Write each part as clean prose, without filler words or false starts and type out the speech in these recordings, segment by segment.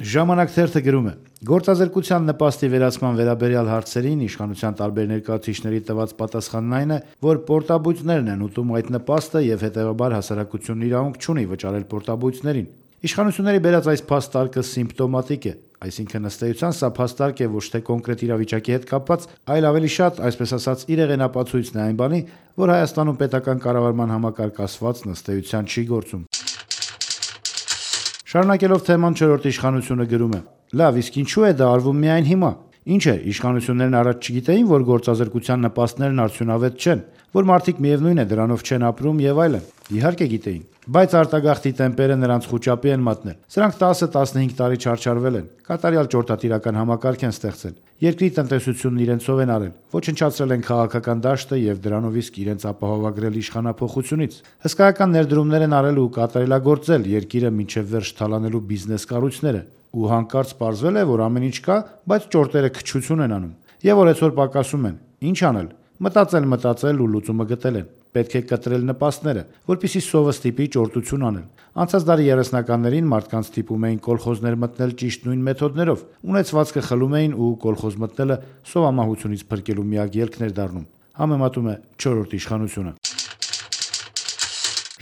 Ժամանակ թերթը գրում է. գործազրկության նպաստի վերացման վերաբերյալ հարցերին իշխանության տարբեր ներկայացուցիչների տված պատասխանն այն է, որ պորտաբույծներն են ուտում այդ նպաստը եւ հետեւաբար հասարակությունն իրավունք չունի վճարել պորտաբույծներին։ Իշխանությունների բերած այս փաստարկը սիմպտոմատիկ է, այսինքն ըստ էության սա փաստարկ է ոչ թե կոնկրետ իրավիճակի հետ կապված, այլ ավելի շատ, այսպես ասած, իրեղենապացույցն է այն բանի, որ Հայաստանում պետական կառավարման համակարգ ասվածն ըստ էության չի գործում։ Շարունակելով թեման չորրորդ իշխանությունը գրում է. լավ, իսկ ինչու է դա արվում միայն հիմա։ Ինչ է, իշխանություններն առաջ չգիտեին, որ գործազրկության նպաստներն արդյունավետ չեն, որ մարդիկ միևնույն է դրանով չեն ապրում եւ այլն։ Իհարկե գիտեին, բայց արտագաղթի տեմպերը նրանց խուճապի են մատնել։ Սրանք 10-15 տարի չարչարվել են, կատարյալ ճորտատիրական համակարգ են ստեղծել։ Երկրի տնտեսությունն իրենցով են արել, ոչնչացրել են քաղաքական դաշտը եւ դրանով իսկ իրենց ապահովագրել իշխանափոխությունից։ Հսկայական ներդրումներ են արել ու կատարելագործել երկիրը մինչեւ վերջ թալանելու բիզնես կառույցները։ Ու հանկարծ պարզվել է, որ ամեն ինչ կա, բայց ճորտերը քչություն են անում։ Եվ օրեցօր պակասում են։ Ինչ անել։ Մտածել ու լուծումը գտել են։ Պետք է կտրել նպաստները, որպեսզի սովը ստիպի ճորտություն անել։ Անցած դարի 30-ականներին մարդկանց ստիպում էին կոլխոզներ մտնել ճիշտ նույն մեթոդներով, ունեցվածքը խլում էին ու կոլխոզ մտնելը սովամահությունից փրկելու միակ ելքն էր դառնում։ Համեմատում է չորրորդ իշխանությունը։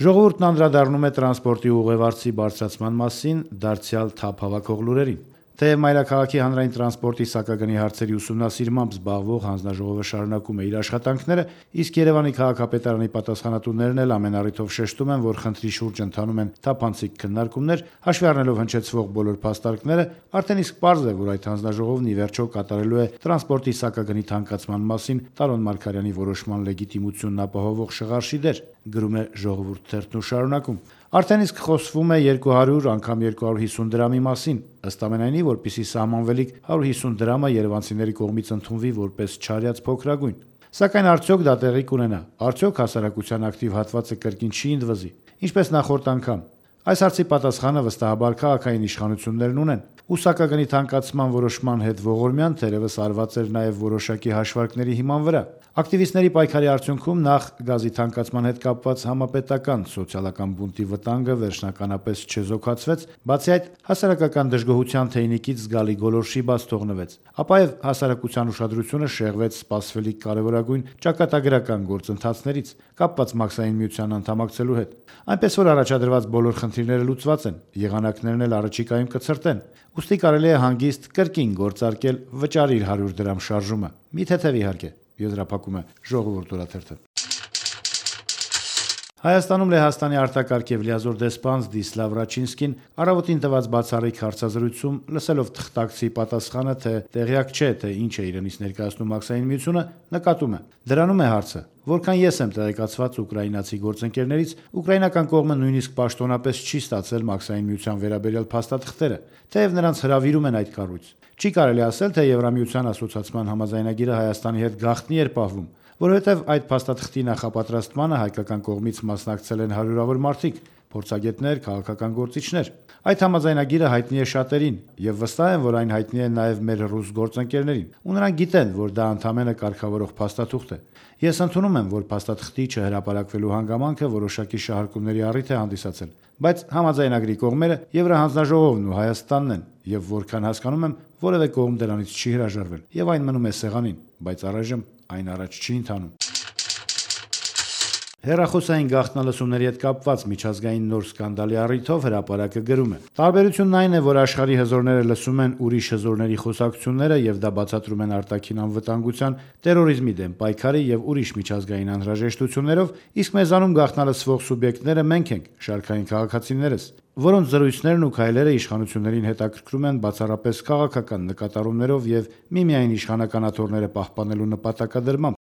Ժողովուրդն անդրադառնում է տրանսպորտի ուղևորցի բարձրացման մասին դարձյալ թափ հավաքող լուրերին։ Թեև Մայրաքաղաքի հանրային տրանսպորտի սակագնի հարցերի ուսումնասիրմամբ զբաղվող հանձնաժողովը շարունակում է իր աշխատանքները, իսկ Երևանի քաղաքապետարանի պատասխանատուներն էլ ամեն առիթով շեշտում են, որ խնդրի շուրջ ընթանում են թափանցիկ քննարկումներ, հաշվի առնելով հնչեցվող բոլոր փաստարկները, արդեն իսկ պարզ է, որ այդ հանձնաժողովն ի վերջո կատարելու է տրանսպորտի սակագնի թանկացման մասին Տարոն Մարգարյանի որոշման լեգիտիմությունն ապահովող շղարշի դեր, գրում է Ժողովուրդ թերթն ու շարունակում։ Արդեն իսկ խոսվում է 200 անգամ 250 դրամի մասին, ըստ ամենայնի, որպեսզի սահմանվելիք 150 դրամը երևանցիների կողմից ընդունվի որպես չարյաց փոքրագույն։ Սակայն արդյոք դա տեղի կունենա, արդյոք հասարակության ակտիվ հատվածը կրկին չի ընդվզի, ինչպես նախորդ անգամ։ Այս հարցի պատասխանը վստահաբար քաղաքային իշխանություններն ունեն։ Ու սակագնի թանկացման որոշման հետ ողորմյան թերևս արված էր նաև որոշակի հաշվարկների հիման վրա։ Ակտիվիստների պայքարի արդյունքում նախ գազի թանկացման հետ կապված համապետական սոցիալական բունտի վտանգը վերջնականապես չեզոքացվեց, բացի այդ հասարակական դժգոհության թեյնիկից զգալի գոլորշի բաց թողնվեց, ապա եւ հասարակության ուշադրությունը շեղվեց սպասվելիք կարևորագույն ճակատագրական գործընթացներից, կապված Մաքսային միության անդամակցելու հետ։ Այնպես որ առաջադրված բոլոր խնդիրները լուծված են, եղանակներն էլ առաջիկայում կցրտեն։ Ուստի կարելի է հանգիստ կրկին գործարկել վճարիր 100 դրամ շարժումը։ Մի թեթև իհարկե, եզրափակում է Ժողովուրդ օրաթերթը։ Հայաստանում Լեհաստանի արտակարգ եւ լիազոր դեսպան Զդիսլավ Ռաչինսկին առավոտին տված բացառիկ հարցազրույցում լսելով թղթակցի պատասխանը, թե տեղյակ չէ, թե ինչ է իրենից ներկայացնում Մաքսային միությունը, նկատում է. դրանում է հարցը, որքան ես եմ տեղեկացված ուկրաինացի գործընկերներից, ուկրաինական կողմը նույնիսկ պաշտոնապես չի ստացել Մաքսային միության վերաբերյալ փաստաթղթերը, թեև նրանց հրավիրում են այդ կառույց։ Չի կարելի ասել, թե Եվրամիության ասոցիացման համաձայնագիրը Հայաստանի հետ գաղտնի էր պահվում, որովհետև այդ փաստաթղթի նախապատրաստմանը հայկական կողմից մասնակցել են հարյուրավոր մարդիկ, փորձագետներ, քաղաքական գործիչներ։ Այդ համաձայնագիրը հայտնի է շատերին, եւ վստահ եմ, որ այն հայտնի է նաեւ մեր ռուս գործընկերներին, ու նրանք գիտեն, որ դա ընդամենը կարգավորող փաստաթուղթ է։ Ես ընդունում եմ, որ փաստաթղթի չհրապարակվելու հանգամանքը որոշակի շահարկումների առիթ է հանդիսացել, բայց համաձայնագրի կողմերը Եվրահանձնաժողովն ու Հայաստանն են, եւ որքան հասկանում եմ, որևէ կողմ դրանից չի հրաժարվել, եւ այն մնում է սեղանին, բայց առայժմ այն առաջ չի ընթանում։ Հեռախոսային գաղտնալսումների հետ կապված միջազգային նոր սկանդալի առիթով հրապարակը գրում է. տարբերությունն այն է, որ աշխարհի հզորները լսում են ուրիշ հզորների խոսակցությունները եւ դա բացատրում են արտաքին անվտանգության, տերորիզմի դեմ պայքարի եւ ուրիշ միջազգային անհրաժեշտություններով, իսկ մեզանում գաղտնալսվող սուբյեկտները մենք ենք, շարքային քաղաքացիներս, որոնց զրույցներն ու քայլերը իշխանություններին հետաքրքրում են բացառապես քաղաքական նկատառումներով եւ միմիայն իշխանական աթոռները պահպանելու նպատակադրմամբ։